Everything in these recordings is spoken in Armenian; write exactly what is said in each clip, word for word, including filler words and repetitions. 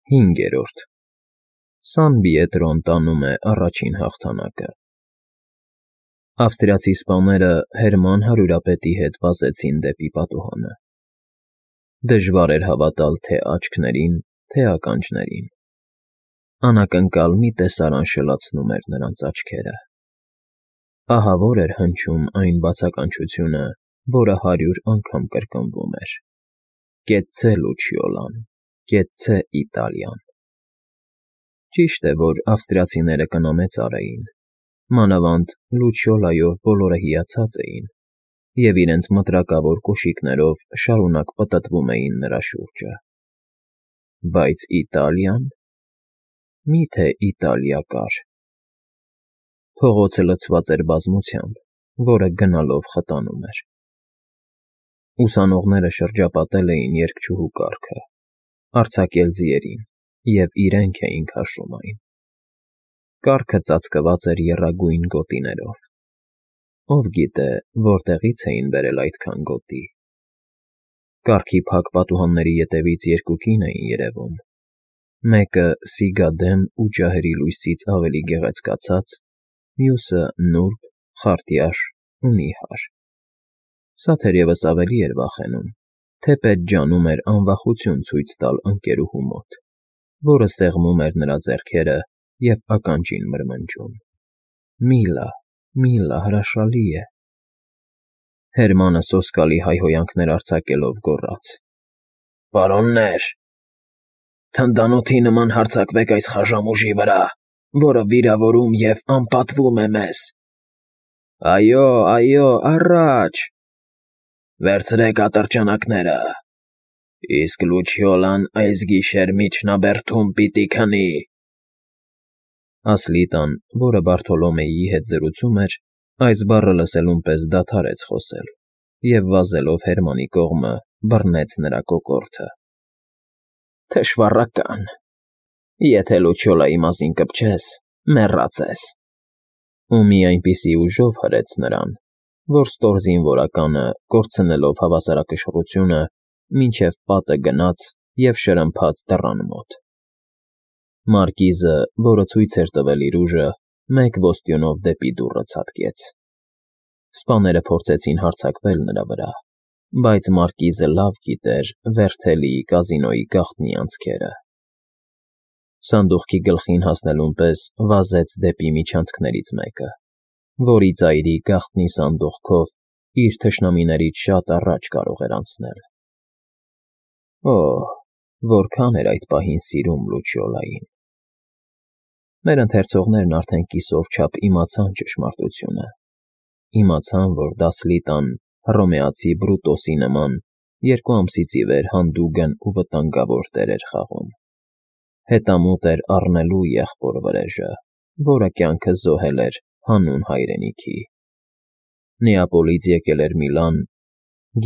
Հինգերորդ Սան Պիետրոն տանում է առաջին հաղթանակը։ Ավստրիացի սպաները Հերման հարյուրապետի հետ վազեցին դեպի պատուհանը։ Դժվար էր հավատալ թե՛ աչքներին, թե՛ ականջներին. անակնկալ մի տեսարան շլացնում էր նրանց աչքերը։ Ահավոր էր հնչում այն բացականչությունը, որը հարյուր անգամ կրկնվում էր. «Կեցցե Լուչիոլան, կեցցե Իտալիան»։ Ճիշտ է, որ ավստրիացիները կնամեծար էին, մանավանդ Լուչիոլայով բոլորը հիացած էին և իրենց մտրակավոր կոշիկներով շարունակ պտտվում էին նրա շուրջը։ Բայց Իտալիա՞ն… Մի՞թե Իտալիա կար… Փողոցը լցված էր բազմությամբ, որը գնալով խտանում էր։ Ուսանողները շրջապատել էին երգչուհու կառքը, արձակել ձիերին և իրենք էին քաշում այն։ Կառքը ծածկված էր եռագույն գոտիներով։ Ով գիտե, որտեղից էին բերել այդքան գոտի։ Կառքի փակ պատուհանների ետևից երկու կին էին երևում, մեկը սիգադեմ ու ջահերի լույսից ավելի գեղեցկացած, մյուսը՝ նուրբ, խարտյաշ ու նիհար։ Սա թերևս ավելի էր վախենում, թեպետ ջանում էր անվախություն ցույց տալ ընկերուհու մոտ, որը սեղմում էր նրա ձեռքերը և ականջին մրմնջում. «Միլա, Միլա, հրաշալի է»։ Հերմանը սոսկալի հայհոյանքներ արձակելով գոռաց. «Պարոննե՛ր, թնդանոթի նման հարձակվեք այս խաժամուժի վրա, որը վիրավորում և անպատվում է մեզ… Այո, այո, առաջ… Վերցրեք ատրճանակները… Իսկ Լուչիոլան այս գիշեր միջնաբերդում պիտի քնի…»։ Ասլիտան, որը Բարթոլոմեյի հետ զրուցում էր, այս բառը լսելուն պես դադարեց խոսել և, վազելով Հերմանի կողմը, բռնեց նրա կոկորդը։ «Թշվառակա՜ն… Եթե Լուչիոլայի մազին կպչես, մեռած ես»։ Ու մի այնպիսի ուժով հրեց նրան, որ ստոր զինվորականը, կորցնելով հավասարակշռությունը, մինչև պատը գնաց և շրմփաց դռան մոտ։ Մարկիզը, որը ցույց էր տվել իր ուժը, մեկ ոստյունով դեպի դուռը ցատկեց։ Սպաները փորձեցին հարձակվել նրա վրա, բայց մարկիզը լավ գիտեր Վերթելիի կազինոյի գաղտնի անցքերը։ Սանդուղքի գլխին հասնելուն պես վազեց դեպի միջանցքներից մեկը, որի ծայրի գաղտնի սանդուղքով իր թշնամիներից շատ առաջ կարող էր անցնել։ Օհ, որքան էր այդ պահին սիրում Լուչիոլային… Մեր ընթերցողներն արդեն կիսով չափ իմացան ճշմարտությունը, իմացան, որ Դասլիտան հռոմեացի Բրուտոսի նման երկու ամսից ի վեր հանդուգն ու վտանգավոր դեր էր խաղում։ Հետամուտ էր առնելու եղբոր վրեժը, որը կյանքը զոհել էր հանուն հայրենիքի։ Նեապոլից եկել էր Միլան,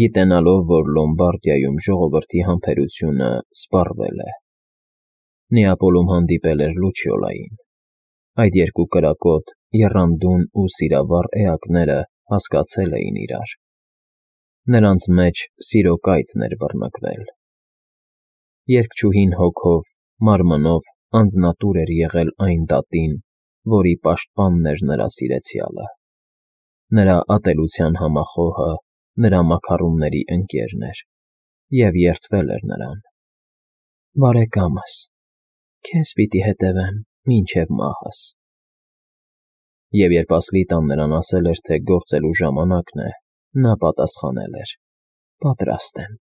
գիտենալով, որ Լոմբարդիայում ժողովրդի համբերությունը սպառվել է։ Նեապոլում հանդիպել էր Լուչիոլային։ Այդ երկու կրակոտ, եռանդուն ու սիրավառ էակները հասկացել էին իրար։ Նրանց մեջ սիրո կայծն էր բռնկվել։ Երգչուհին հոգով, մարմնով անձնատուր էր եղել այն դատին, որի պաշտպանն էր նրա սիրեցյալը։ Նրա ատելության համախոհը նրա մաքառումների ընկերն էր և երդվել էր նրան։ «Բարեկամս, քեզ պիտի հետևեմ մինչև մահս»։ Եվ երբ Ասլիտան նրան ասել էր, թե գործելու ժամանակն է, նա պատասխանել էր. «Պատրաստ եմ»։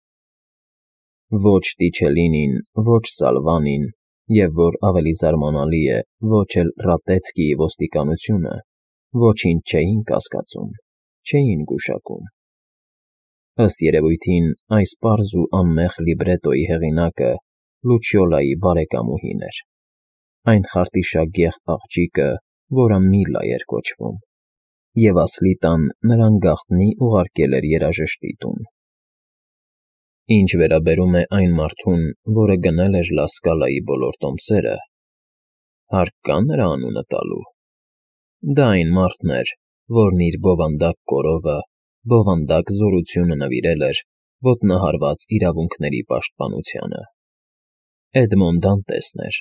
Ոչ Տիչելինին, ոչ Սալվանին և, որ ավելի զարմանալի է, ոչ էլ Ռատեցկիի ոստիկանությունը ոչինչ չէին կասկածում, չէին գուշակում։ Ըստ երևույթին, այս պարզ ու անմեղ լիբրետոյի հեղինակը Լուչիոլայի բարեկամուհին էր, այն խարտիշագեղ աղջիկը, որը Միլա էր կոչվում, և Ասլիտան նրան գաղտնի ուղարկել էր երաժշտի տուն։ Ինչ վերաբերում է այն մարդուն, որը գնել էր Լա Սկալայի բոլոր տոմսերը, հարկ կա՞ նրա անունը տալու։ Դա այն մարդն էր, որն իր բովանդակ կորովը, բովանդակ զորությունը նվիրել էր ոտնահարված իրավունքների պաշտպանությանը։ Էդմոն Դանտեսն էր,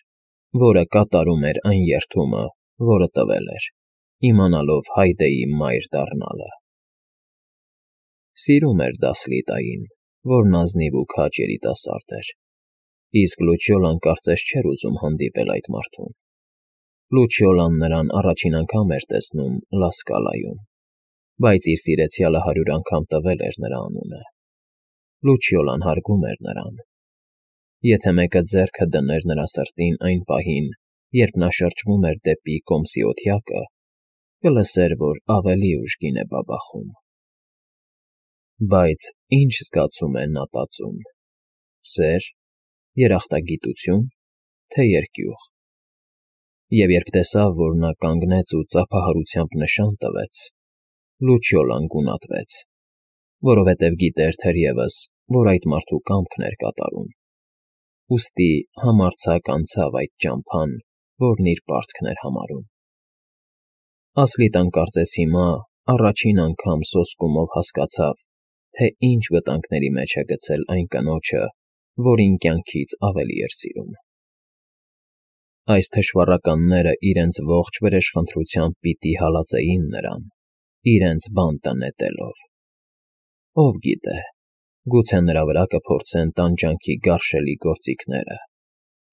որը կատարում էր այն երդումը, որը տվել էր, իմանալով Հայդեի մայր դառնալը։ Սիրում էր Դասլիտային, որն ազնիվ ու քաջ երիտասարդ էր, իսկ Լուչիոլան կարծես չէր ուզում հանդիպել այդ մարդուն։ Լուչիոլան նրան առաջին անգամ էր տեսնում Լա Սկալայում, բայց իր սիրեցյալը հարյուր անգամ տվել էր նրա անունը։ Լուչիոլան հարգում էր նրան։ Եթե մեկը ձեռքը դներ նրա սրտին այն պահին, երբ նա շրջվում էր դեպի կոմսի օթյակը, կլսեր, որ ավելի ուժգին է բաբախում։ Բայց ի՞նչ զգացում է նա տածում. սեր, երախտագիտություն, թե երկյուղ։ Եվ երբ տեսավ, որ նա կանգնեց ու ծափահարությամբ նշան տվեց, Լուչիոլան գունատվեց, որովհետև գիտեր թերևս, որ այդ մարդու կամքն էր կատարում, ուստի համարձակ անցավ այդ ճամփան, որն իր պարտքն էր համարում։ Ասլիտան կարծես հիմա առաջին անգամ սոսկումով հասկացավ, թե ինչ վտանգների մեջ է գցել այն կնոջը, որին կյանքից ավելի էր սիրում։ Այս թշվառականները իրենց ողջ վրեժխնդրությամբ պիտի հալածեին նրան, իրենց բանտը նետելով։ Ով գիտե, գուցե նրա վրա կփորձեն տանջանքի գարշելի գործիքները,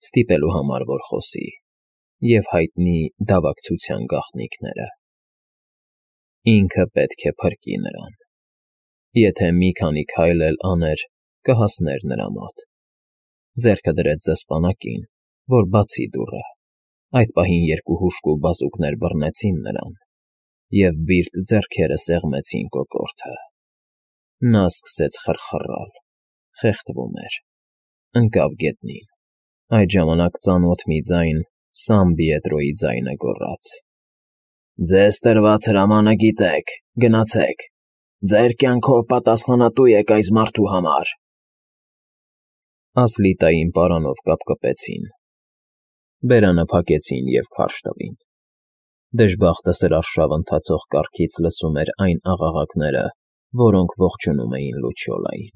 ստիպելու համար, որ խոսի, և հայտնի դավակցության գաղտնիքները։ Ինքը պետք է փրկի նրան։ Եթե մի քանի քայլ էլ աներ, կհասներ նրա մոտ։ Ձեռքը դրեց զսպանակին, որ բացի դուռը։ Այդ պահին երկու հուժկու բազուկներ բռնեցին նրան, և բիրտ ձեռքերը սեղմեցին կոկորդը։ Նա սկսեց խռխռալ, խեղդվում էր, ընկավ գետնին։ Այդ ժամանակ ծանոթ մի ձայն Սան Պիետրոյի ձայնը գոռաց. «Ձեզ տրված հրամանը գիտեք, գնացեք, ձեր կյանքով պատասխանատու եք այս մարդու համար»։ Ասլիտային պարանով կապկպեցին, բերանը փակեցին և քարշ տվին։ Դժբախտը սրարշավ ընթացող կառքից լսում էր այն աղաղակները, որոնք ողջունում էին Լուչիոլային։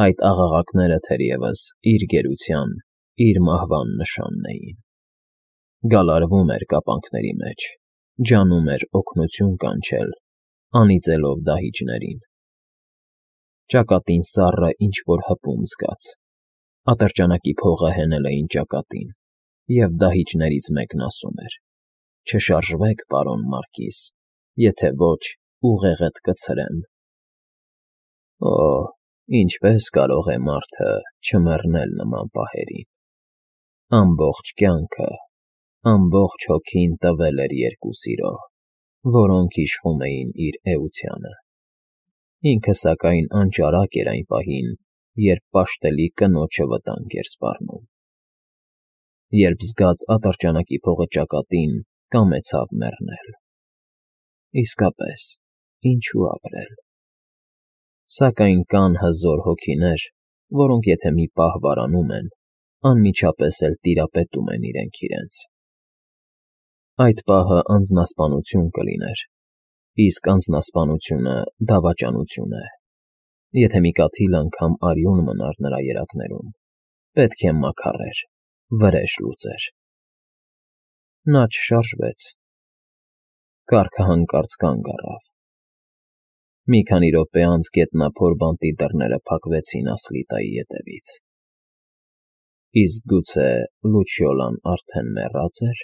Այդ աղաղակները թերևս իր գերության, իր մահվան նշանն էին։ Գալարվում էր կապանքների մեջ, ջանում էր օգնություն կանչել, անիծելով դահիճներին։ Ճակատին սառը ինչ֊որ հպում զգաց։ Ատրճանակի փողը հենել էին ճակատին, և դահիճներից մեկն ասում էր. «Չշարժվեք, պարոն Մարկիզ, եթե ոչ, ուղեղդ կցրեմ»։ Օ, ինչպե՜ս կարող է մարդը չմեռնել նման պահերին։ Ամբողջ կյանքը, ամբողջ հոգին տվել էր երկու սիրո, որոնք իշխում էին իր էությանը։ Ինքը, սակայն, անճարակ էր այն պահին, երբ պաշտելի կնոջը վտանգ էր սպառնում։ Երբ զգաց ատրճանակի փողը ճակատին, կամեցավ մեռնել։ Իսկապես, ինչու ապրել։ Սակայն կան հզոր հոգիներ, որոնք եթե մի պահ վարանում են, անմիջապես էլ տիրապետում են իրենք իրենց։ Այդ պահը անձնասպանություն կլիներ, իսկ անձնասպանությունը դավաճանություն է։ Եթե մի կաթիլ անգամ արյուն մնար նրա երակներում, պետք է մաքարեր, վրեժ լուծեր։ Նա չշարժվեց։ Կառքը հանկարծ կանգ առավ։ Մի քանի րոպե անց գետնափոր բանտի դռները փակվեցին Ասլիտայի ետևից։ Իսկ գուցե Լուչիոլան արդեն մեռած էր։